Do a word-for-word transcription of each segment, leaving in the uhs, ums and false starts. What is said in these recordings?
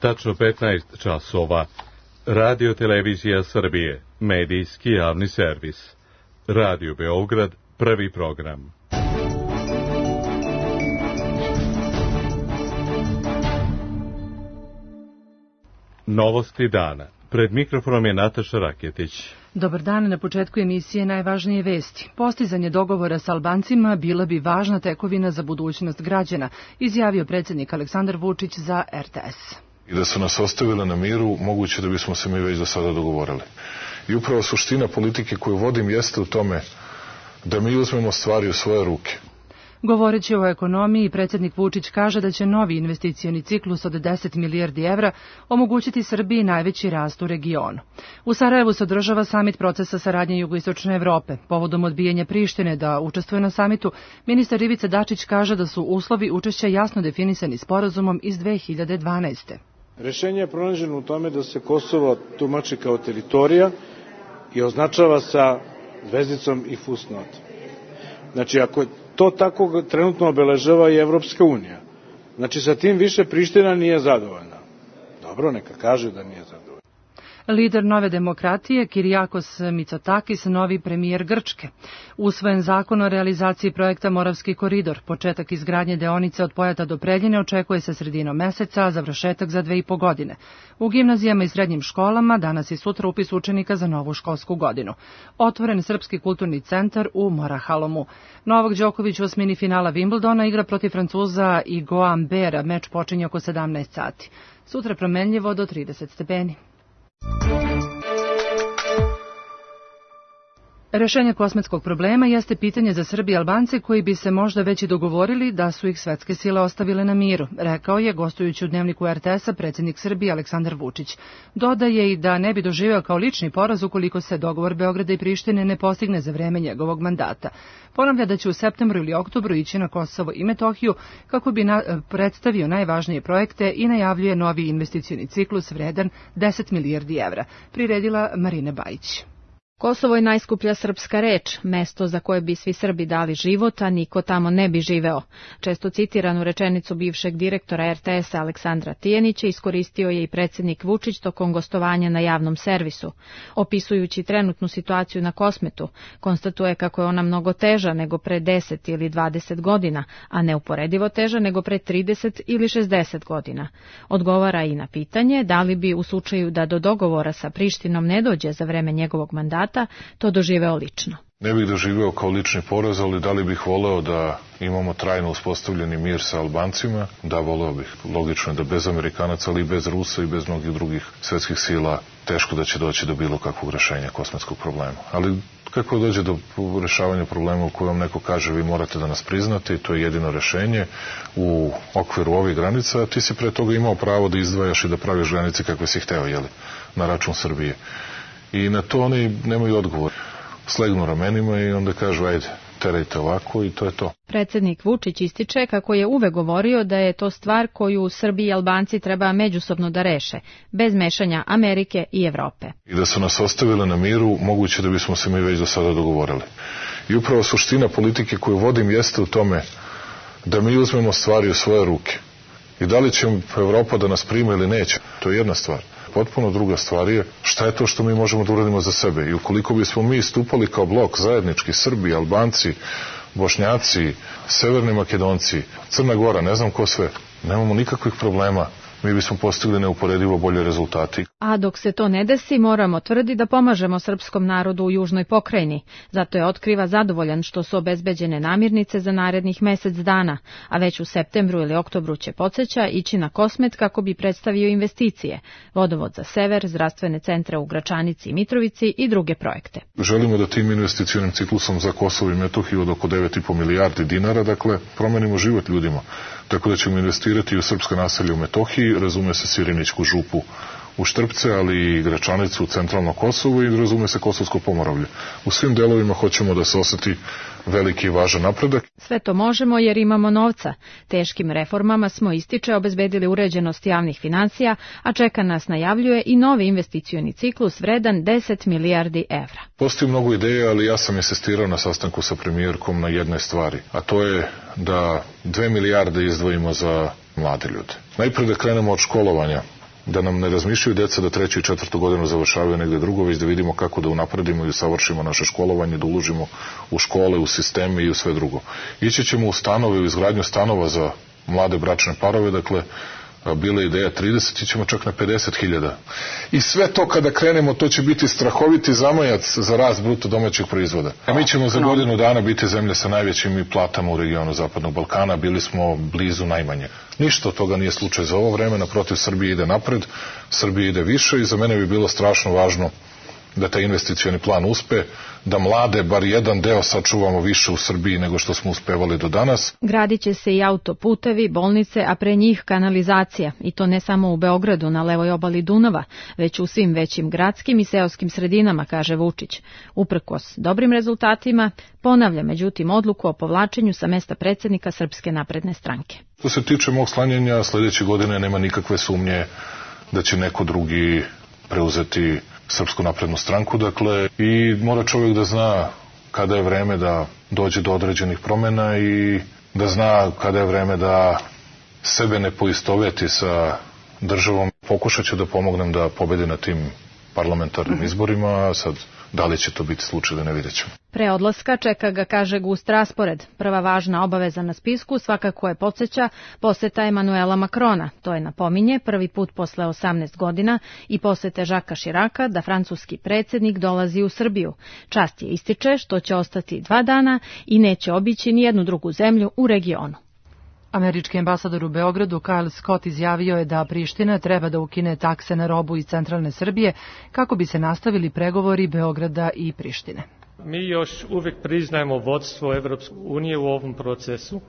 tačno petnaest časova. Radio Televizija Srbije, medijski javni servis. Radio Beograd, prvi program. Novosti dana. Pred mikrofonom je Nataša Raketić. Dobar dan, na početku emisije najvažnije vesti. Postizanje dogovora sa Albancima bila bi važna tekovina za budućnost građana, izjavio predsjednik Aleksandar Vučić za er te es. I da su nas ostavile na miru, moguće da bismo se mi već do sada dogovorili. I upravo suština politike koju vodim jeste u tome da mi uzmemo stvari u svoje ruke. Govoreći o ekonomiji, predsjednik Vučić kaže da će novi investicioni ciklus od deset milijardi evra omogućiti Srbiji najveći rast u regionu. U Sarajevu se održava samit procesa saradnje Jugoistočne Evrope. Povodom odbijanja Prištine da učestvuje na samitu, ministar Ivica Dačić kaže da su uslovi učešća jasno definisani sporazumom iz dve hiljade dvanaeste. Rešenje je pronađeno u tome da se Kosovo tumači kao teritorija i označava sa zvezdicom i fusnotom. Znači, ako to tako trenutno obeležava i Evropska unija, znači sa tim više Priština nije zadovoljna. Dobro, neka kaže da nije zadovoljna. Lider Nove demokratije, Kirijakos Mitsotakis, novi premijer Grčke. Usvojen zakon o realizaciji projekta Moravski koridor. Početak izgradnje deonice od Pojata do Preljine očekuje se sredinom meseca, a završetak za dve i po godine. U gimnazijama i srednjim školama danas i sutra upis učenika za novu školsku godinu. Otvoren Srpski kulturni centar u Morahalomu. Novak Đoković u osmini finala Wimbledona igra protiv Francuza Igoa Ambera. Meč počinje oko sedamnaest sati. Sutra promenljivo do trideset stepeni. Rešenje kosmetskog problema jeste pitanje za Srbi i Albance koji bi se možda već i dogovorili da su ih svetske sile ostavile na miru, rekao je gostujući u dnevniku er te es-a predsjednik Srbije Aleksandar Vučić. Dodaje i da ne bi doživeo kao lični poraz ukoliko se dogovor Beograda i Prištine ne postigne za vreme njegovog mandata. Ponavlja da će u septembru ili oktobru ići na Kosovo i Metohiju kako bi na, predstavio najvažnije projekte i najavljuje novi investicioni ciklus vredan deset milijardi evra, priredila Marina Bajić. Kosovo je najskuplja srpska reč, mesto za koje bi svi Srbi dali život, a niko tamo ne bi živeo. Često citiranu rečenicu bivšeg direktora er te es-a Aleksandra Tijanića iskoristio je i predsjednik Vučić tokom gostovanja na javnom servisu. Opisujući trenutnu situaciju na Kosmetu, konstatuje kako je ona mnogo teža nego pre deset ili dvadeset godina, a neuporedivo teža nego pre trideset ili šezdeset godina. Odgovara i na pitanje da li bi u slučaju da do dogovora sa Prištinom ne dođe za vreme njegovog mandata to doživeo lično. Ne bih doživeo kao lični poraz, ali da li bih voleo da imamo trajno uspostavljeni mir sa Albancima? Da, voleo bih. Logično je da bez Amerikanaca, ali i bez Rusa i bez mnogih drugih svetskih sila teško da će doći do bilo kakvog rešenja kosmetskog problema. Ali kako dođe do rešavanja problema u kojem neko kaže vi morate da nas priznate i to je jedino rešenje u okviru ovih granica, a ti si pre toga imao pravo da izdvajaš i da praviš granice kakve si hteo, jeli, na račun Srbije. I na to oni nemaju odgovor. Slegnu ramenima i onda kažu ajde, terajte ovako i to je to. Predsjednik Vučić ističe kako je uvek govorio da je to stvar koju Srbi i Albanci treba međusobno da reše, bez mešanja Amerike i Evrope. I da su nas ostavile na miru, moguće da bismo se mi već do sada dogovorili. I upravo suština politike koju vodim jeste u tome da mi uzmemo stvari u svoje ruke. I da li će Evropa da nas prima ili neće, to je jedna stvar. Potpuno druga stvar je šta je to što mi možemo da uradimo za sebe. I ukoliko bismo mi stupali kao blok zajednički, Srbi, Albanci, Bošnjaci, Severni Makedonci, Crna Gora, ne znam ko sve, nemamo nikakvih problema. Mi bismo postigli neuporedivo bolje rezultati. A dok se to ne desi, moramo tvrdi da pomažemo srpskom narodu u južnoj pokrajini. Zato je otkriva zadovoljan što su obezbeđene namirnice za narednih mesec dana, a već u septembru ili oktobru će, podsjeća, ići na Kosmet kako bi predstavio investicije, vodovod za sever, zdravstvene centre u Gračanici i Mitrovici i druge projekte. Želimo da tim investicionim ciklusom za Kosovo i Metohiju od oko devet i po milijardi dinara, dakle, promenimo život ljudima. Tako da ćemo investirati u srpska naselja u Metohiji, razume se Sirinićku župu u Štrpce, ali i Gračanicu u centralno Kosovo i razume se Kosovsko Pomoravlje. U svim delovima hoćemo da se oseti veliki i važan napredak. Sve to možemo jer imamo novca. Teškim reformama smo, ističe, obezbedili uređenost javnih financija, a čeka nas, najavljuje, i novi investicioni ciklus vredan deset milijardi evra. Postoji mnogo ideja, ali ja sam insistirao na sastanku sa premijerkom na jednoj stvari, a to je da dve milijarde izdvojimo za mlade ljude. Najprej da krenemo od školovanja da nam ne razmišljaju deca da treću i četvrtu godinu završavaju negde drugo, već da vidimo kako da unapredimo i usavršimo naše školovanje, da uložimo u škole, u sisteme i u sve drugo. Ići ćemo u stanove, u izgradnju stanova za mlade bračne parove, dakle, bila je ideja trideset, ićemo čak na pedeset hiljada. I sve to kada krenemo, to će biti strahoviti zamajac za rast bruto domaćeg proizvoda. A mi ćemo za godinu dana biti zemlja sa najvećim platama u regionu Zapadnog Balkana, bili smo blizu najmanje. Ništa od toga nije slučaj za ovo vreme, naprotiv, Srbija ide napred, Srbija ide više i za mene bi bilo strašno važno da taj investicioni plan uspe, da mlade, bar jedan deo, sačuvamo više u Srbiji nego što smo uspevali do danas. Gradit će se i autoputevi, bolnice, a pre njih kanalizacija. I to ne samo u Beogradu, na levoj obali Dunava, već u svim većim gradskim i seoskim sredinama, kaže Vučić. Uprkos dobrim rezultatima, ponavlja međutim odluku o povlačenju sa mesta predsednika Srpske napredne stranke. Što se tiče mog sklanjanja, sledeće godine nema nikakve sumnje da će neko drugi preuzeti Srpsku naprednu stranku, dakle, i mora čovjek da zna kada je vreme da dođe do određenih promjena i da zna kada je vreme da sebe ne poistoveti sa državom. Pokušat ću da pomognem da pobedi na tim parlamentarnim izborima, a sad da li će to biti slučaj da ne vidjet ćemo. Pre odlaska čeka ga, kaže, gust raspored. Prva važna obaveza na spisku svakako je, podsjeća, poseta Emanuela Makrona. To je, napominje, prvi put posle osamnaest godina i posete Žaka Širaka da francuski predsjednik dolazi u Srbiju. Čast je ističe što će ostati dva dana i neće obići ni jednu drugu zemlju u regionu. Američki ambasador u Beogradu Kyle Scott izjavio je da Priština treba da ukine takse na robu iz centralne Srbije kako bi se nastavili pregovori Beograda i Prištine. Mi još uvijek priznajemo vodstvo Evropske unije u ovom procesu,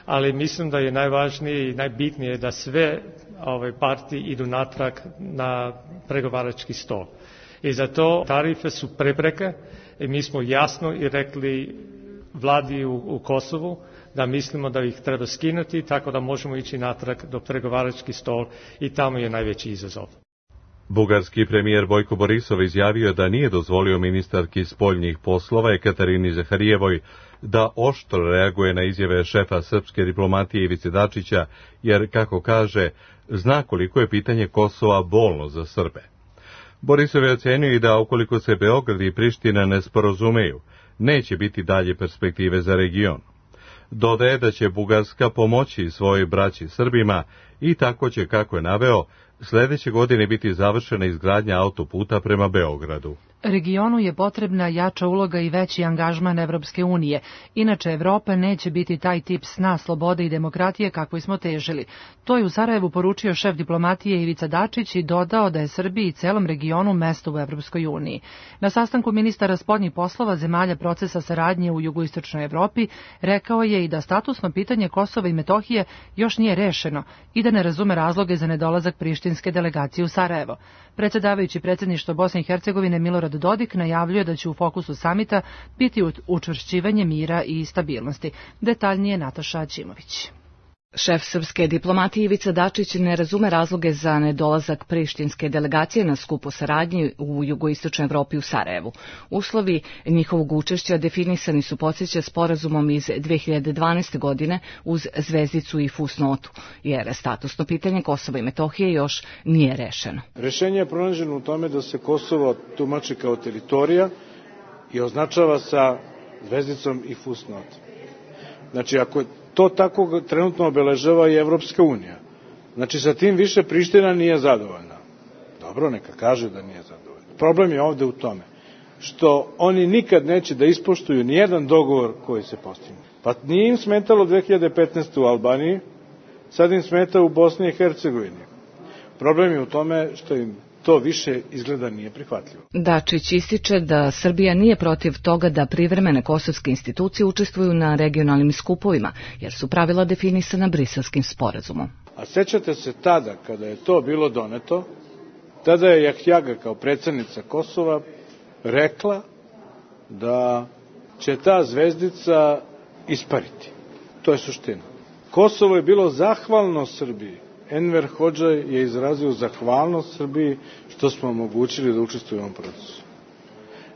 ali mislim da je najvažnije i najbitnije da sve ove partije idu natrag na pregovarački stol. I zato tarife su prepreke i mi smo jasno i rekli vladi u, u Kosovu da mislimo da ih treba skinuti tako da možemo ići natrag do pregovarački stol i tamo je najveći izazov. Bugarski premijer Bojko Borisov izjavio da nije dozvolio ministarki spoljnih poslova Ekaterini Zaharijevoj da oštro reaguje na izjave šefa srpske diplomatije Ivice Dačića, jer, kako kaže, zna koliko je pitanje Kosova bolno za Srbe. Borisov je ocenio i da ukoliko se Beograd i Priština ne sporazumeju, neće biti dalje perspektive za region. Dodaje da će Bugarska pomoći svojoj braći Srbima i tako će, kako je naveo, sledeće godine biti završena izgradnja autoputa prema Beogradu. Regionu je potrebna jača uloga i veći angažman Evropske unije. Inače, Evropa neće biti taj tip sna, slobode i demokratije kakvoj smo težili. To je u Sarajevu poručio šef diplomatije Ivica Dačić i dodao da je Srbiji i celom regionu mesto u Evropskoj uniji. Na sastanku ministara spoljnih poslova zemalja procesa saradnje u jugoistočnoj Evropi rekao je i da statusno pitanje Kosova i Metohije još nije rešeno i da ne razume razloge za nedolazak prištinske delegacije u Sarajevo. Predsjedavajući predsjedništvo Bosne i Hercegovine Milorad Dodik najavljuje da će u fokusu samita biti učvršćivanje mira i stabilnosti. Detaljnije Nataša Aćimović. Šef srpske diplomatije Ivica Dačić ne razume razloge za nedolazak prištinske delegacije na skup o saradnji u jugoistočnoj Evropi u Sarajevu. Uslovi njihovog učešća definisani su, podsjeća, sporazumom iz dve hiljade dvanaeste. godine uz zvezdicu i fusnotu, jer statusno pitanje Kosova i Metohije još nije rešeno. Rešenje je pronađeno u tome da se Kosovo tumači kao teritorija i označava sa zvezdicom i fusnotom. Znači, ako to tako trenutno obeležava i Evropska unija. Znači, sa tim više Priština nije zadovoljna. Dobro, neka kaže da nije zadovoljna. Problem je ovde u tome što oni nikad neće da ispoštuju nijedan dogovor koji se postigne. Pa nije im smetalo dve hiljade petnaeste. u Albaniji, sad im smeta u Bosni i Hercegovini. Problem je u tome što im to više izgleda nije prihvatljivo. Dačić ističe da Srbija nije protiv toga da privremene kosovske institucije učestvuju na regionalnim skupovima, jer su pravila definisana Briselskim sporazumom. A sećate se tada, kada je to bilo doneto, tada je Jahjaga kao predsjednica Kosova rekla da će ta zvezdica ispariti. To je suština. Kosovo je bilo zahvalno Srbiji. Enver Hodža je izrazio zahvalnost Srbiji što smo omogućili da učestvuju u ovom procesu.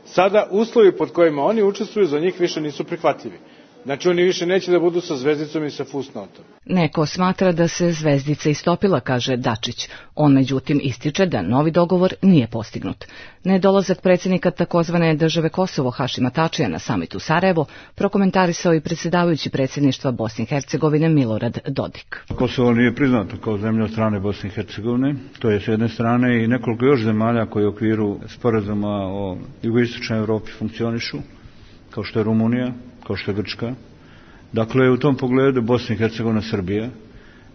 Sada uslovi pod kojima oni učestvuju za njih više nisu prihvatljivi. Znači oni više neće da budu sa zvezdicom i sa fusnotom. Neko smatra da se zvezdica istopila, kaže Dačić. On međutim ističe da novi dogovor nije postignut. Nedolazak predsjednika takozvane države Kosovo Hašima Tačija na samitu Sarajevo prokomentarisao i predsjedavajući predsjedništva Bosne i Hercegovine Milorad Dodik. Kosovo nije priznato kao zemlja od strane Bosne i Hercegovine, to je s jedne strane, i nekoliko još zemalja koji u okviru sporazuma o jugoistočnoj Evropi funkcionišu, kao što je Rumunija, kao što je Grčka. Dakle, u tom pogledu Bosna i Hercegovina, Srbija,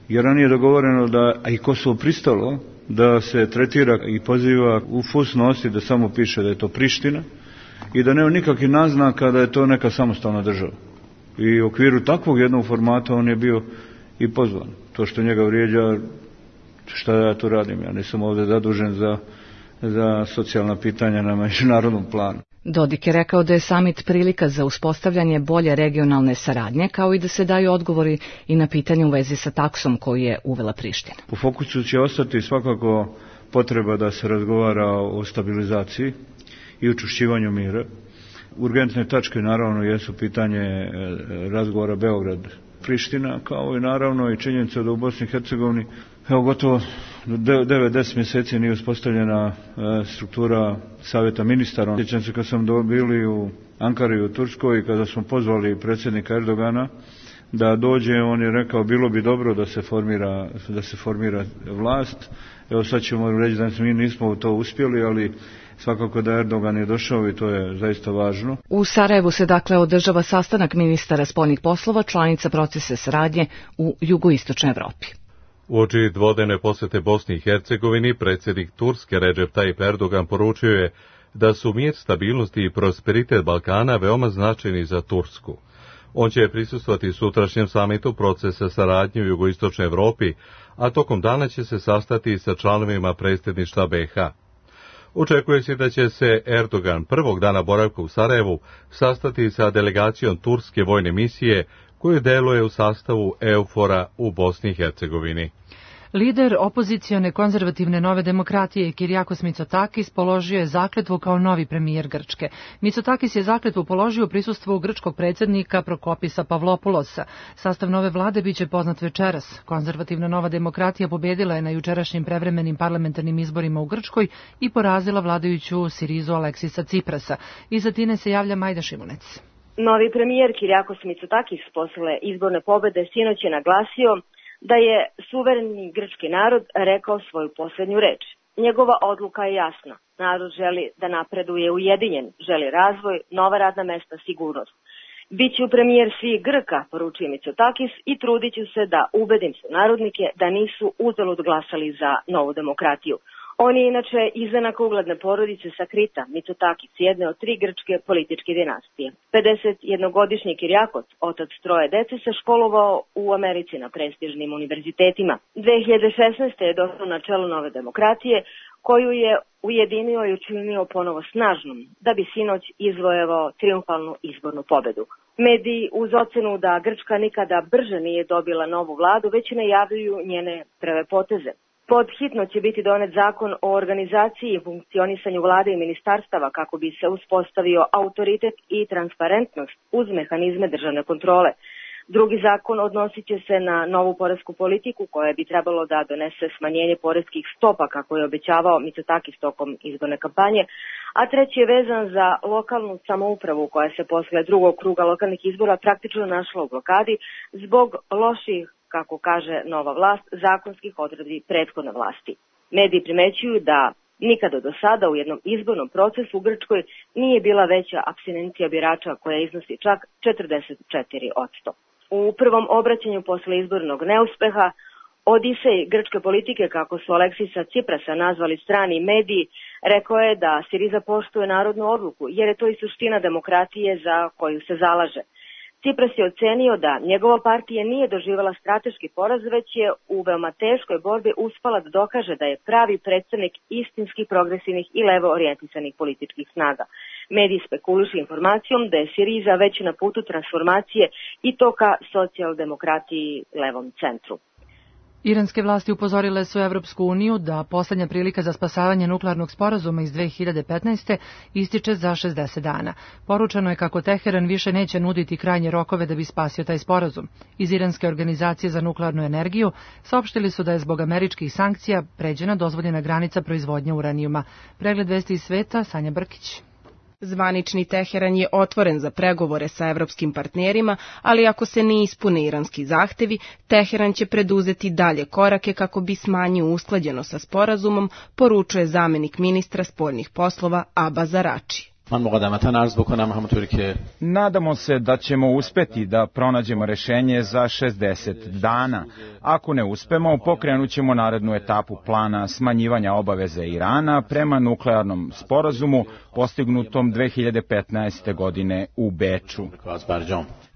jer ranije dogovoreno da, a i Kosovo pristalo, da se tretira i poziva u fusnosti da samo piše da je to Priština i da nema nikakvih naznaka da je to neka samostalna država. I u okviru takvog jednog formata on je bio i pozvan. To što njega vrijeđa, šta ja tu radim, ja nisam ovdje zadužen za, za socijalna pitanja na međunarodnom planu. Dodik je rekao da je samit prilika za uspostavljanje bolje regionalne saradnje, kao i da se daju odgovori i na pitanje u vezi sa taksom koju je uvela Priština. U fokusu će ostati svakako potreba da se razgovara o stabilizaciji i učvršćivanju mira. Urgentne tačke naravno jesu pitanje razgovora Beograd-Priština, kao i naravno i činjenica da u Bosni i Hercegovini evo gotovo devet do deset mjeseci nije uspostavljena struktura savjeta ministara. Sjećam se kad sam bili u Ankari u Turskoj i kada smo pozvali predsjednika Erdogana da dođe, on je rekao bilo bi dobro da se formira, da se formira vlast. Evo sad ćemo reći da mi nismo u to uspjeli, ali svakako da Erdogan je došao i to je zaista važno. U Sarajevu se dakle održava sastanak ministara spoljnih poslova, članica procesa saradnje u jugoistočnoj Evropi. Uoči dvodnevne posjete Bosni i Hercegovini, predsjednik Turske Recep Tayyip Erdogan poručio je da su mir, stabilnost i prosperitet Balkana veoma značajni za Tursku. On će prisustvovati sutrašnjem samitu procesa saradnje u jugoistočnoj Evropi, a tokom dana će se sastati sa članovima predsjedništva B iH. Očekuje se da će se Erdogan prvog dana boravka u Sarajevu sastati sa delegacijom turske vojne misije koju deluje u sastavu EUFOR-a u Bosni i Hercegovini. Lider opozicione konzervativne Nove demokratije Kyriakos Mitsotakis položio je zakletvu kao novi premijer Grčke. Mitsotakis je zakletvu položio u prisustvu grčkog predsjednika Prokopisa Pavlopoulosa. Sastav nove vlade biće poznat večeras. Konzervativna Nova demokratija pobjedila je na jučerašnjim prevremenim parlamentarnim izborima u Grčkoj i porazila vladajuću Sirizu Aleksisa Ciprasa. Iza Tine se javlja Majda Šimunec. Novi premijer Kyriakos Mitsotakis posle izborne pobede sinoć je naglasio da je suvereni grčki narod rekao svoju posljednju reč. Njegova odluka je jasna. Narod želi da napreduje ujedinjen, želi razvoj, nova radna mesta, sigurnost. Biću premijer svih Grka, poručuje Mitsotakis, i trudit ću se da ubedim su narodnike da nisu uzalud glasali za novu demokratiju. On je inače izdanak ugledne porodice sa Krita, Mitsotakis, jedne od tri grčke političke dinastije. pedesetjednogodišnji Kyriakos, otac troje dece, se školovao u Americi na prestižnim univerzitetima. dve hiljade šesnaeste. je došao na čelo Nove demokratije, koju je ujedinio i učinio ponovo snažnom, da bi sinoć izvojevao triumfalnu izbornu pobedu. Mediji uz ocenu da Grčka nikada brže nije dobila novu vladu, već najavljuju njene prve poteze. Pod hitno će biti donet zakon o organizaciji i funkcionisanju vlade i ministarstava kako bi se uspostavio autoritet i transparentnost uz mehanizme državne kontrole. Drugi zakon odnosit će se na novu poresku politiku koja bi trebalo da donese smanjenje poreskih stopa kako je obećavao Mitsotakis tokom izborne kampanje, a treći je vezan za lokalnu samoupravu koja se posle drugog kruga lokalnih izbora praktično našla u blokadi zbog loših, kako kaže nova vlast, zakonskih odredbi prethodne vlasti. Mediji primećuju da nikada do sada u jednom izbornom procesu u Grčkoj nije bila veća apstinencija birača koja iznosi čak četrdeset četiri posto. U prvom obraćanju posle izbornog neuspeha, Odisej grčke politike, kako su Aleksisa Ciprasa nazvali strani mediji, rekao je da Siriza poštuje narodnu odluku, jer je to i suština demokratije za koju se zalaže. Cipras je ocenio da njegova partija nije doživjela strateški poraz, već je u veoma teškoj borbi uspala da dokaže da je pravi predstavnik istinskih, progresivnih i levo orijentisanih političkih snaga. Mediji spekulišu informacijom da je Siriza već na putu transformacije i to ka socijaldemokratiji levom centru. Iranske vlasti upozorile su Evropsku uniju da poslednja prilika za spasavanje nuklearnog sporazuma iz dve hiljade petnaeste. ističe za šezdeset dana. Poručeno je kako Teheran više neće nuditi krajnje rokove da bi spasio taj sporazum. Iz Iranske organizacije za nuklearnu energiju saopštili su da je zbog američkih sankcija pređena dozvoljena granica proizvodnje uranijuma. Pregled vesti iz sveta, Sanja Brkić. Zvanični Teheran je otvoren za pregovore sa evropskim partnerima, ali ako se ne ispune iranski zahtevi, Teheran će preduzeti dalje korake kako bi smanjio usklađenost sa sporazumom, poručuje zamenik ministra spoljnih poslova Abbas Araghchi. Nadamo se da ćemo uspeti da pronađemo rešenje za šezdeset dana. Ako ne uspemo, pokrenut ćemo narednu etapu plana smanjivanja obaveze Irana prema nuklearnom sporazumu postignutom dve hiljade petnaeste. godine u Beču.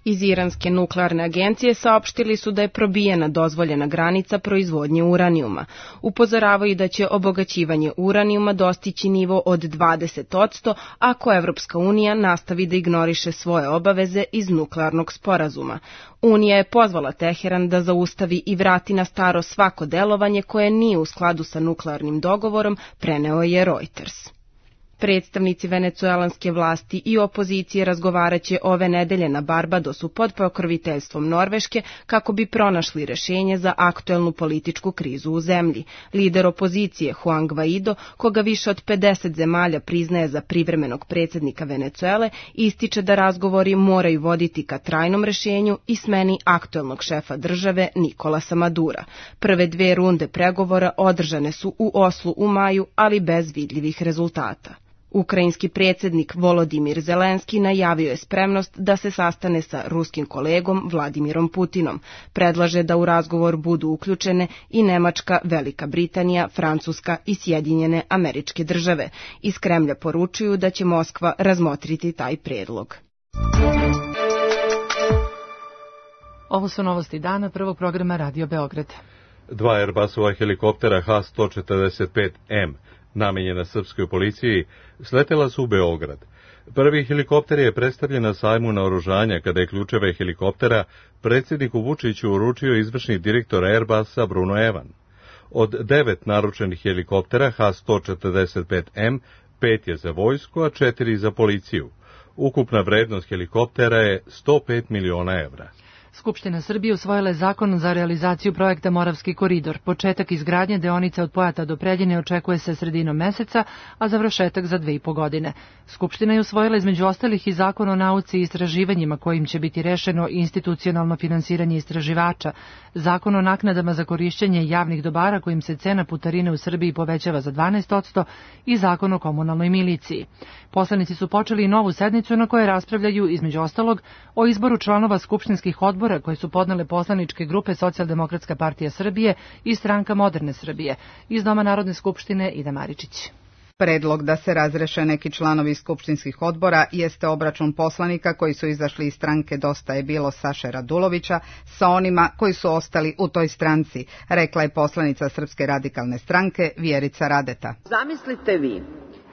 Iz Iranske nuklearne agencije saopštili su da je probijena dozvoljena granica proizvodnje uranijuma. Upozoravaju da će obogaćivanje uranijuma dostići nivo od dvadeset posto ako Evropska unija nastavi da ignoriše svoje obaveze iz nuklearnog sporazuma. Unija je pozvala Teheran da zaustavi i vrati na staro svako delovanje koje nije u skladu sa nuklearnim dogovorom, preneo je Reuters. Predstavnici venecuelanske vlasti i opozicije razgovaraće ove nedelje na Barbadosu pod pokroviteljstvom Norveške kako bi pronašli rešenje za aktuelnu političku krizu u zemlji. Lider opozicije Juan Guaido, koga više od pedeset zemalja priznaje za privremenog predsjednika Venecuele, ističe da razgovori moraju voditi ka trajnom rešenju i smeni aktuelnog šefa države Nikolasa Madura. Prve dve runde pregovora održane su u Oslu u maju, ali bez vidljivih rezultata. Ukrajinski predsjednik Volodimir Zelenski najavio je spremnost da se sastane sa ruskim kolegom Vladimirom Putinom. Predlaže da u razgovor budu uključene i Nemačka, Velika Britanija, Francuska i Sjedinjene Američke Države. Iz Kremlja poručuju da će Moskva razmotriti taj predlog. Ovo su novosti dana prvog programa Radio Beograd. Dva Airbusova helikoptera H sto četrdeset pet M namenjena srpskoj policiji, sletela su u Beograd. Prvi helikopter je predstavljen na sajmu naoružanja kada je ključeve helikoptera predsjedniku Vučiću uručio izvršni direktor Airbusa Bruno Evan. Od devet naručenih helikoptera H sto četrdeset pet M, pet je za vojsku, a četiri za policiju. Ukupna vrednost helikoptera je sto pet miliona evra. Skupština Srbije usvojila je zakon za realizaciju projekta Moravski koridor. Početak izgradnje deonice od Pojata do Preljine očekuje se sredinom meseca, a završetak za dve i po godine. Skupština je usvojila između ostalih i zakon o nauci i istraživanjima kojim će biti rešeno institucionalno finansiranje istraživača, zakon o naknadama za korišćenje javnih dobara kojim se cena putarine u Srbiji povećava za dvanaest posto i zakon o komunalnoj miliciji. Poslanici su počeli i novu sednicu na kojoj raspravljaju između ostalog o izboru članova skupštinskih odbora koje su podnele poslaničke grupe Socijaldemokratska partija Srbije i Stranka moderne Srbije. Iz Doma Narodne skupštine Ida Maričić. Predlog da se razreše neki članovi skupštinskih odbora jeste obračun poslanika koji su izašli iz stranke Dosta je bilo Saše Radulovića sa onima koji su ostali u toj stranci, rekla je poslanica Srpske radikalne stranke Vjerica Radeta. Zamislite vi,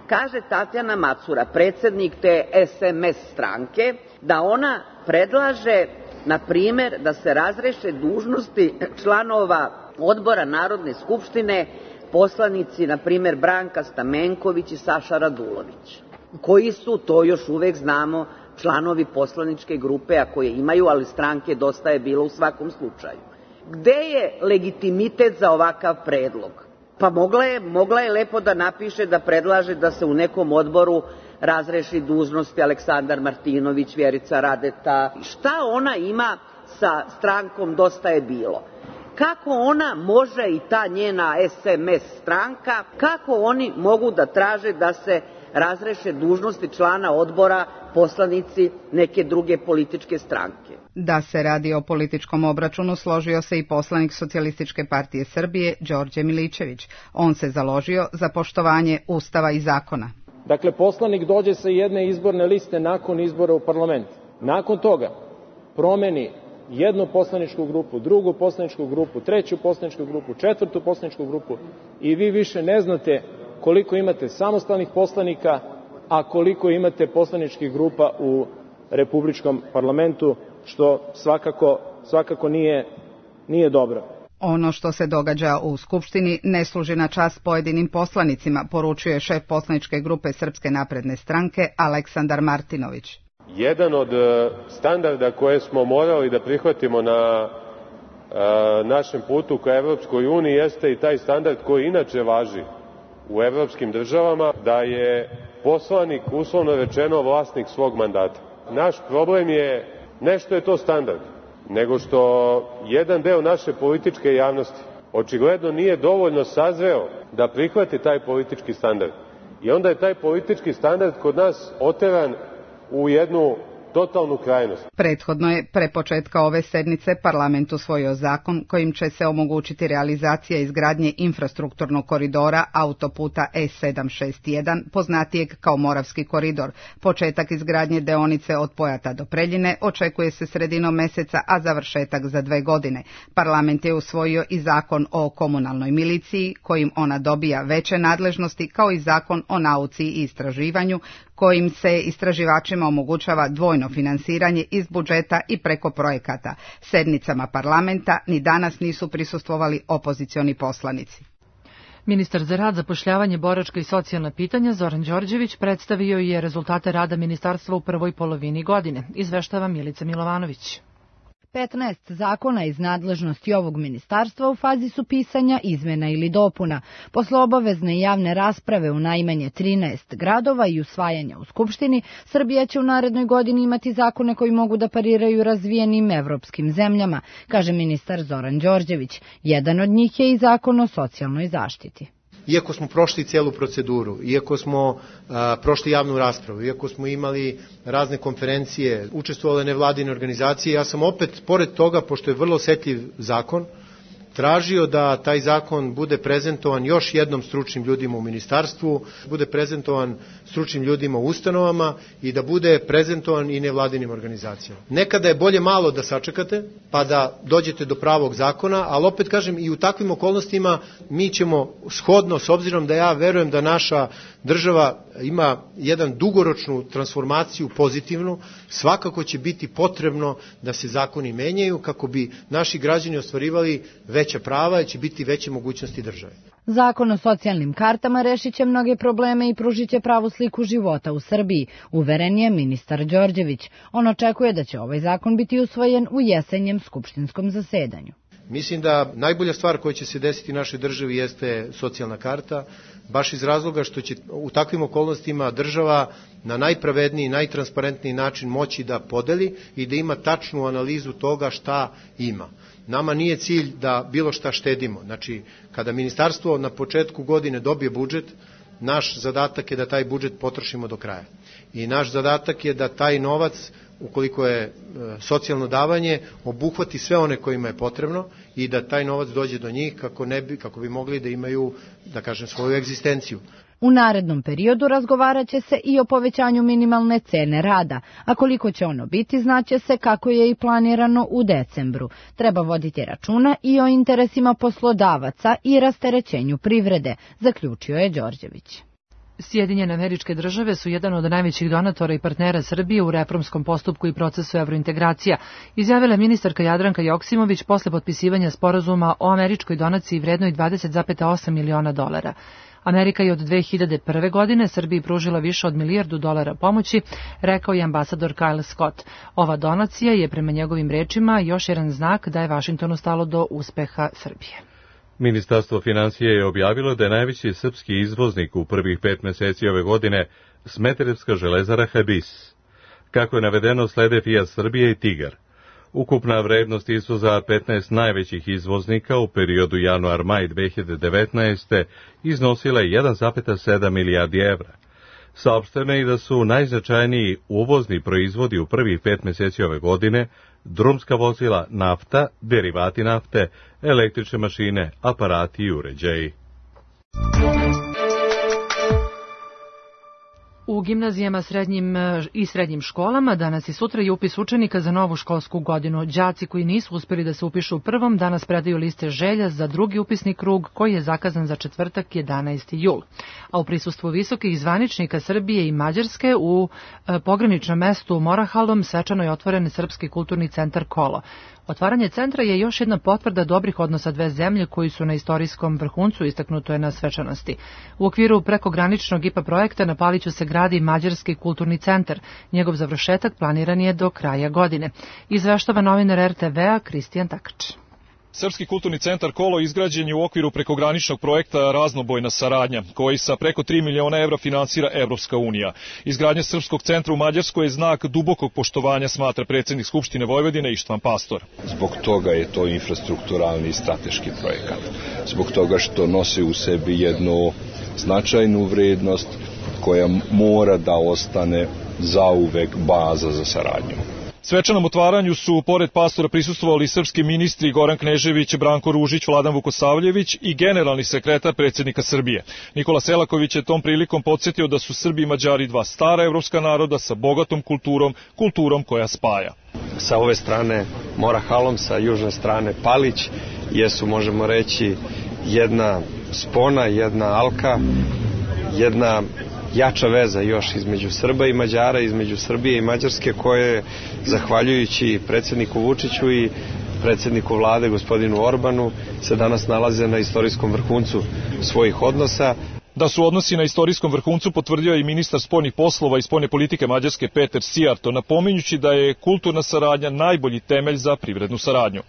kaže Tatjana Macura, predsjednik te S M S stranke, da ona predlaže, na primjer, da se razreše dužnosti članova odbora Narodne skupštine, poslanici, na primjer, Branka Stamenković i Saša Radulović, koji su, to još uvek znamo, članovi poslaničke grupe, a koje imaju, ali stranke Dosta je bilo u svakom slučaju. Gde je legitimitet za ovakav predlog? Pa mogla je, mogla je lepo da napiše da predlaže da se u nekom odboru razreši dužnosti Aleksandar Martinović, Vjerica Radeta. Šta ona ima sa strankom Dosta je bilo? Kako ona može i ta njena S M S stranka, kako oni mogu da traže da se razreše dužnosti člana odbora poslanici neke druge političke stranke? Da se radi o političkom obračunu složio se i poslanik Socijalističke partije Srbije Đorđe Milićević. On se založio za poštovanje Ustava i zakona. Dakle, poslanik dođe sa jedne izborne liste nakon izbora u parlament. Nakon toga promeni jednu poslaničku grupu, drugu poslaničku grupu, treću poslaničku grupu, četvrtu poslaničku grupu i vi više ne znate koliko imate samostalnih poslanika, a koliko imate poslaničkih grupa u Republičkom parlamentu, što svakako, svakako nije, nije dobro. Ono što se događa u Skupštini ne služi na čast pojedinim poslanicima, poručuje šef poslaničke grupe Srpske napredne stranke Aleksandar Martinović. Jedan od standarda koje smo morali da prihvatimo na našem putu ka Evropskoj uniji jeste i taj standard koji inače važi u evropskim državama, da je poslanik uslovno rečeno vlasnik svog mandata. Naš problem je ne što je to standard, nego što jedan deo naše političke javnosti očigledno nije dovoljno sazreo da prihvati taj politički standard. I onda je taj politički standard kod nas oteran u jednu totalnu krajnost. Prethodno je pre početka ove sednice parlament usvojio zakon kojim će se omogućiti realizacija izgradnje infrastrukturnog koridora autoputa E sedam šest jedan, poznatijeg kao Moravski koridor. Početak izgradnje deonice od Pojata do Preljine očekuje se sredinom meseca, a završetak za dve godine. Parlament je usvojio i zakon o komunalnoj miliciji, kojim ona dobija veće nadležnosti, kao i zakon o nauci i istraživanju, kojim se istraživačima omogućava dvojno finansiranje iz budžeta i preko projekata. Sednicama parlamenta ni danas nisu prisustvovali opozicioni poslanici. Ministar za rad, zapošljavanje, boračka i socijalna pitanja Zoran Đorđević predstavio je rezultate rada ministarstva u prvoj polovini godine. Izveštava Milica Milovanović. petnaest zakona iz nadležnosti ovog ministarstva u fazi su pisanja, izmena ili dopuna. Posle obavezne javne rasprave u najmanje trinaest gradova i usvajanja u Skupštini, Srbija će u narednoj godini imati zakone koji mogu da pariraju razvijenim evropskim zemljama, kaže ministar Zoran Đorđević. Jedan od njih je i zakon o socijalnoj zaštiti. Iako smo prošli cijelu proceduru, iako smo a, prošli javnu raspravu, iako smo imali razne konferencije, učestvovale nevladine organizacije, ja sam opet, pored toga, pošto je vrlo osetljiv zakon, tražio da taj zakon bude prezentovan još jednom stručnim ljudima u ministarstvu, bude prezentovan stručnim ljudima u ustanovama i da bude prezentovan i nevladinim organizacijama. Nekada je bolje malo da sačekate, pa da dođete do pravog zakona, ali opet kažem, i u takvim okolnostima mi ćemo shodno, s obzirom da ja verujem da naša država ima jedan dugoročnu transformaciju pozitivnu, svakako će biti potrebno da se zakoni menjaju kako bi naši građani ostvarivali veća prava i će biti veće mogućnosti države. Zakon o socijalnim kartama rešit će mnoge probleme i pružit će pravu sliku života u Srbiji, uveren je ministar Đorđević. On očekuje da će ovaj zakon biti usvojen u jesenjem skupštinskom zasedanju. Mislim da najbolja stvar koja će se desiti našoj državi jeste socijalna karta, baš iz razloga što će u takvim okolnostima država na najpravedniji, najtransparentniji način moći da podeli i da ima tačnu analizu toga šta ima. Nama nije cilj da bilo šta štedimo. Znači, kada ministarstvo na početku godine dobije budžet, naš zadatak je da taj budžet potrošimo do kraja. I naš zadatak je da taj novac, ukoliko je e, socijalno davanje, obuhvati sve one kojima je potrebno i da taj novac dođe do njih kako, ne bi, kako bi mogli da imaju, da kažem, svoju egzistenciju. U narednom periodu razgovarat će se i o povećanju minimalne cene rada, a koliko će ono biti znaće se kako je i planirano u decembru. Treba voditi računa i o interesima poslodavaca i rasterećenju privrede, zaključio je Đorđević. Sjedinjene Američke Države su jedan od najvećih donatora i partnera Srbije u reformskom postupku i procesu evrointegracija, izjavila ministarka Jadranka Joksimović posle potpisivanja sporazuma o američkoj donaciji vrednoj dvadeset zarez osam miliona dolara. Amerika je od dve hiljade prve. godine Srbiji pružila više od milijardu dolara pomoći, rekao je ambasador Kyle Scott. Ova donacija je prema njegovim rečima još jedan znak da je Vašingtonu stalo do uspeha Srbije. Ministarstvo financija je objavilo da je najveći srpski izvoznik u prvih pet meseci ove godine Smederevska železara Hebis. Kako je navedeno, slede Fiat Srbije i Tigar. Ukupna vrednost izvoza petnaest najvećih izvoznika u periodu januar-maj dve hiljade devetnaeste. iznosila je jedan zarez sedam milijardi evra. Saopšteno je i da su najznačajniji uvozni proizvodi u prvih pet meseci ove godine drumska vozila, nafta, derivati nafte, električne mašine, aparati i uređaji. U gimnazijama srednjim i srednjim školama danas i sutra je upis učenika za novu školsku godinu. Đaci koji nisu uspjeli da se upišu u prvom danas predaju liste želja za drugi upisni krug koji je zakazan za četvrtak jedanaesti jul. A u prisustvu visokih zvaničnika Srbije i Mađarske u pograničnom mestu Morahalom svečano je otvoren Srpski kulturni centar Kolo. Otvaranje centra je još jedna potvrda dobrih odnosa dve zemlje koji su na istorijskom vrhuncu, istaknuto je na svečanosti. U okviru prekograničnog I P A projekta na Paliću se gradi Mađarski kulturni centar. Njegov završetak planiran je do kraja godine. Izveštava novinar R T V-a Kristijan Takač. Srpski kulturni centar Kolo izgrađen je u okviru prekograničnog projekta Raznobojna saradnja, koji sa preko tri miliona evra finansira Evropska unija. Izgradnja Srpskog centra u Mađarskoj je znak dubokog poštovanja, smatra predsjednik Skupštine Vojvodine Ištvan Pastor. Zbog toga je to infrastrukturalni i strateški projekat. Zbog toga što nosi u sebi jednu značajnu vrednost koja mora da ostane zauvek baza za saradnju. Svečanom otvaranju su, pored pastora, prisustvovali srpski ministri Goran Knežević, Branko Ružić, Vladan Vukosavljević i generalni sekretar predsjednika Srbije. Nikola Selaković je tom prilikom podsjetio da su Srbi i Mađari dva stara evropska naroda sa bogatom kulturom, kulturom koja spaja. Sa ove strane Mora Halom, sa južne strane Palić, jesu, možemo reći, jedna spona, jedna alka, jedna jača veza još između Srba i Mađara, između Srbije i Mađarske, koje, zahvaljujući predsjedniku Vučiću i predsjedniku vlade, gospodinu Orbanu, se danas nalaze na istorijskom vrhuncu svojih odnosa. Da su odnosi na istorijskom vrhuncu potvrdio i ministar spoljnih poslova i spoljne politike Mađarske Peter Sijarto, napominjući da je kulturna saradnja najbolji temelj za privrednu saradnju.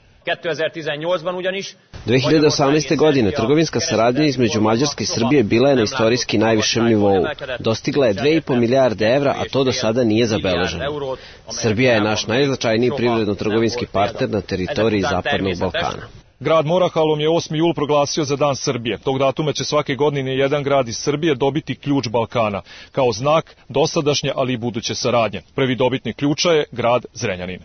dve hiljade osamnaeste. godine trgovinska saradnja između Mađarske i Srbije bila je na istorijski najvišem nivou. Dostigla je dve i po milijarde evra, a to do sada nije zabeleženo. Srbija je naš najznačajniji privredno-trgovinski partner na teritoriji Zapadnog Balkana. Grad Morahalom je osmi jul proglasio za Dan Srbije. Tog datuma će svake godine jedan grad iz Srbije dobiti ključ Balkana, kao znak dosadašnje, ali i buduće saradnje. Prvi dobitnik ključa je grad Zrenjanin.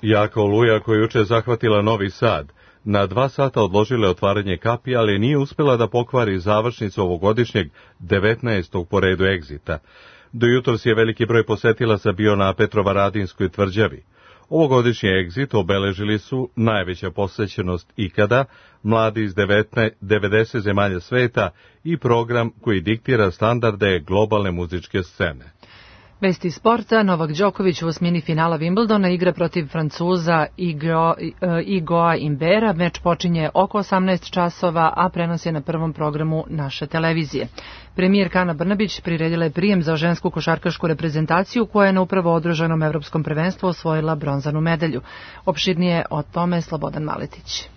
Jaka oluja koja juče zahvatila Novi Sad, na dva sata odložile otvaranje kapi, ali nije uspela da pokvari završnicu ovogodišnjeg devetnaestog po redu egzita. Do jutros je veliki broj posetilaca bio na Petrovaradinskoj tvrđavi. Ovogodišnji egzit obeležili su najveća posvećenost ikada, mladi iz devedeset zemalja sveta i program koji diktira standarde globalne muzičke scene. Vesti sporta, Novak Đoković u osmini finala Wimbledona igra protiv Francuza Igo, Igoa Imbera. Meč počinje oko osamnaest časova, a prenos je na prvom programu naše televizije. Premijerka Ana Brnabić priredila je prijem za žensku košarkašku reprezentaciju koja je na upravo održanom evropskom prvenstvu osvojila bronzanu medalju. Opširnije o tome Slobodan Maletić.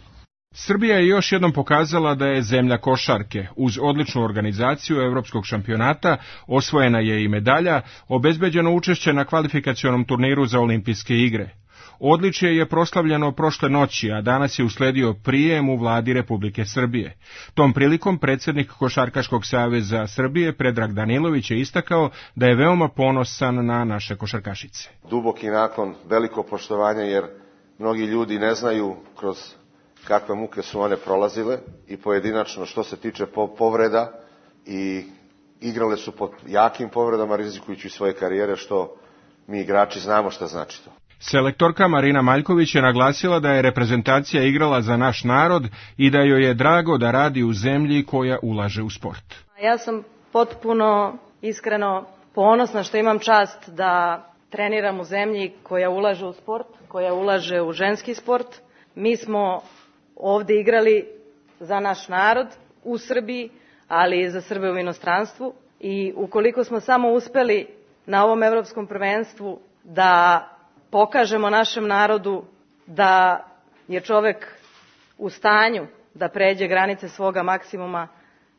Srbija je još jednom pokazala da je zemlja košarke. Uz odličnu organizaciju evropskog šampionata osvojena je i medalja, obezbeđeno učešće na kvalifikacionom turniru za olimpijske igre. Odličje je proslavljeno prošle noći, a danas je usledio prijem u vladi Republike Srbije. Tom prilikom predsjednik Košarkaškog saveza Srbije Predrag Danilović je istakao da je veoma ponosan na naše košarkašice. Duboki naklon, veliko poštovanje, jer mnogi ljudi ne znaju kroz kakve muke su one prolazile i pojedinačno što se tiče povreda i igrale su pod jakim povredama rizikujući svoje karijere, što mi igrači znamo šta znači to. Selektorka Marina Maljković je naglasila da je reprezentacija igrala za naš narod i da joj je drago da radi u zemlji koja ulaže u sport. Ja sam potpuno iskreno ponosna što imam čast da treniram u zemlji koja ulaže u sport, koja ulaže u ženski sport. Mi smo ovde igrali za naš narod u Srbiji, ali i za Srbe u inostranstvu, i ukoliko smo samo uspeli na ovom evropskom prvenstvu da pokažemo našem narodu da je čovek u stanju da pređe granice svoga maksimuma,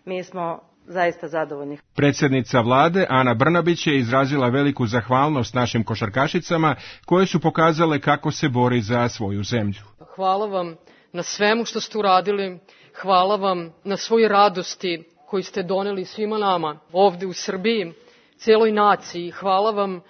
mi smo zaista zadovoljni. Predsjednica vlade Ana Brnabić je izrazila veliku zahvalnost našim košarkašicama koje su pokazale kako se bori za svoju zemlju. Hvala vam na svemu što ste uradili, hvala vam na svoj radosti koju ste doneli svima nama ovde u Srbiji, celoj naciji. Hvala vam.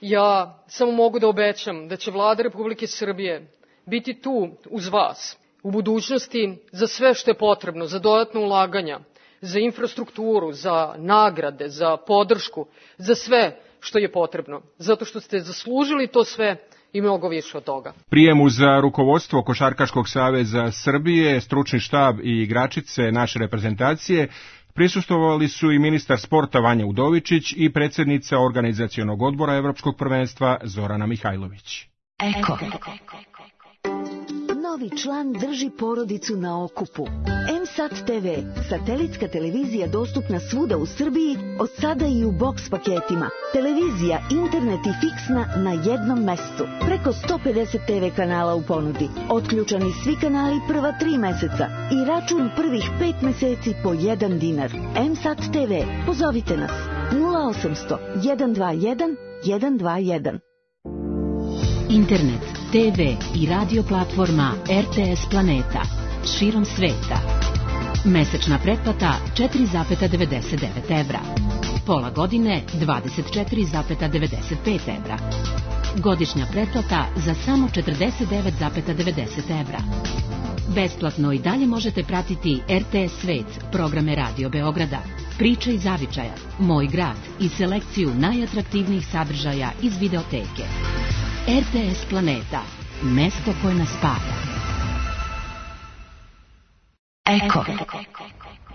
Ja samo mogu da obećam da će vlada Republike Srbije biti tu uz vas u budućnosti za sve što je potrebno, za dodatna ulaganja, za infrastrukturu, za nagrade, za podršku, za sve što je potrebno, zato što ste zaslužili to sve i mnogo više od toga. Prijemu za rukovodstvo Košarkaškog saveza Srbije, stručni štab i igračice naše reprezentacije prisustvovali su i ministar sporta Vanja Udovičić i predsjednica organizacionog odbora Evropskog prvenstva Zorana Mihajlović. Eko. novi član drži porodicu na okupu. M S A T T V, satelitska televizija dostupna svuda u Srbiji, od sada i u boks paketima. Televizija, internet i fiksna na jednom mestu. Preko sto pedeset T V kanala u ponudi. Otključani svi kanali prva tri meseca i račun prvih pet meseci po jedan dinar. M S A T T V, pozovite nas nula osamsto jedan dva jedan jedan dva jedan. Internet, T V i radio platforma R T S Planeta širom sveta. Mesečna pretplata četiri zarez devedeset devet evra. Pola godine dvadeset četiri zarez devedeset pet evra. Godišnja pretplata za samo četrdeset devet zarez devedeset evra. Besplatno i dalje možete pratiti R T S Svet, programe Radio Beograda, Priče iz zavičaja, Moj grad i selekciju najatraktivnijih sadržaja iz videoteke. R T S Planeta, mesto koje nas spaja. Eko.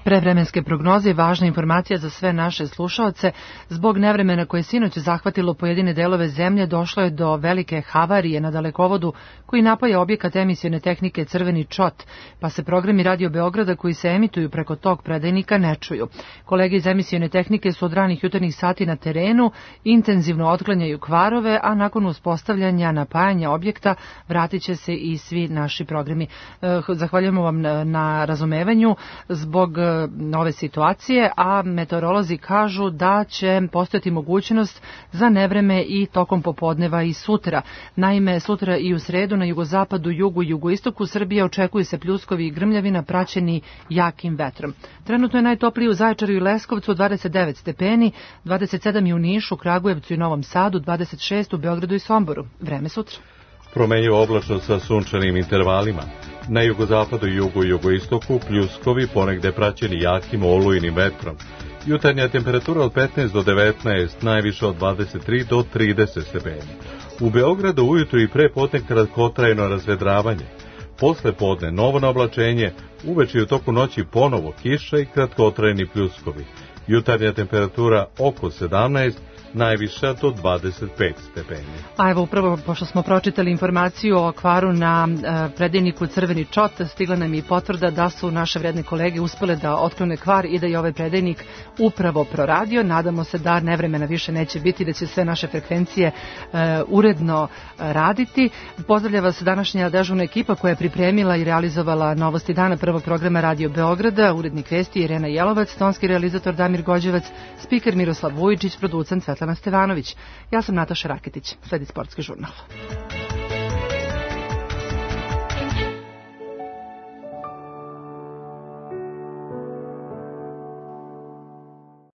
Prevremenske prognoze i važna informacija za sve naše slušaoce. Zbog nevremena koje sinoć zahvatilo pojedine delove zemlje, došlo je do velike havarije na dalekovodu koji napaja objekat emisione tehnike Crveni čot, pa se programi Radio Beograda koji se emituju preko tog predajnika ne čuju. Kolege iz emisione tehnike su od ranih jutarnjih sati na terenu, intenzivno otklanjaju kvarove, a nakon uspostavljanja napajanja objekta vratit će se i svi naši programi. Zahvaljujemo vam na razumevanju zbog ove situacije, a meteorolozi kažu da će postojati mogućnost za nevreme i tokom popodneva i sutra. Naime, sutra i u sredu na jugozapadu, jugu i jugoistoku Srbije očekuju se pljuskovi i grmljavina praćeni jakim vetrom. Trenutno je najtoplije u Zaječaru i Leskovcu dvadeset devet stepeni, dvadeset sedam i u Nišu, Kragujevcu i Novom Sadu, dvadeset šest u Beogradu i Somboru. Vreme sutra. Promenjivo oblačno sa sunčanim intervalima. Na jugozapadu, jugu i jugoistoku pljuskovi ponegde praćeni jakim olujnim vetrom. Jutarnja temperatura od petnaest do devetnaest, najviše od dvadeset tri do trideset stepeni. U Beogradu ujutru i pre podne kratkotrajno razvedravanje. Posle podne novo naoblačenje, uveče i u toku noći ponovo kiša i kratkotrajni pljuskovi. Jutarnja temperatura oko sedamnaest, najviša do dvadeset pet stepeni. A evo upravo, pošto smo pročitali informaciju o kvaru na e, predajniku Crveni čot, stigla nam i potvrda da su naše vredne kolege uspele da otklone kvar i da je ovaj predajnik upravo proradio. Nadamo se da nevremena više neće biti, da će sve naše frekvencije e, uredno raditi. Pozdravlja vas današnja dežurna ekipa koja je pripremila i realizovala novosti dana prvog programa Radio Beograda, urednik vesti Irena Jelovac, tonski realizator Damir Gođevac, spiker Miroslav Vujičić, producent Svetlana Stevanović. Ja sam Nataša Raketić. Sledi sportski žurnal.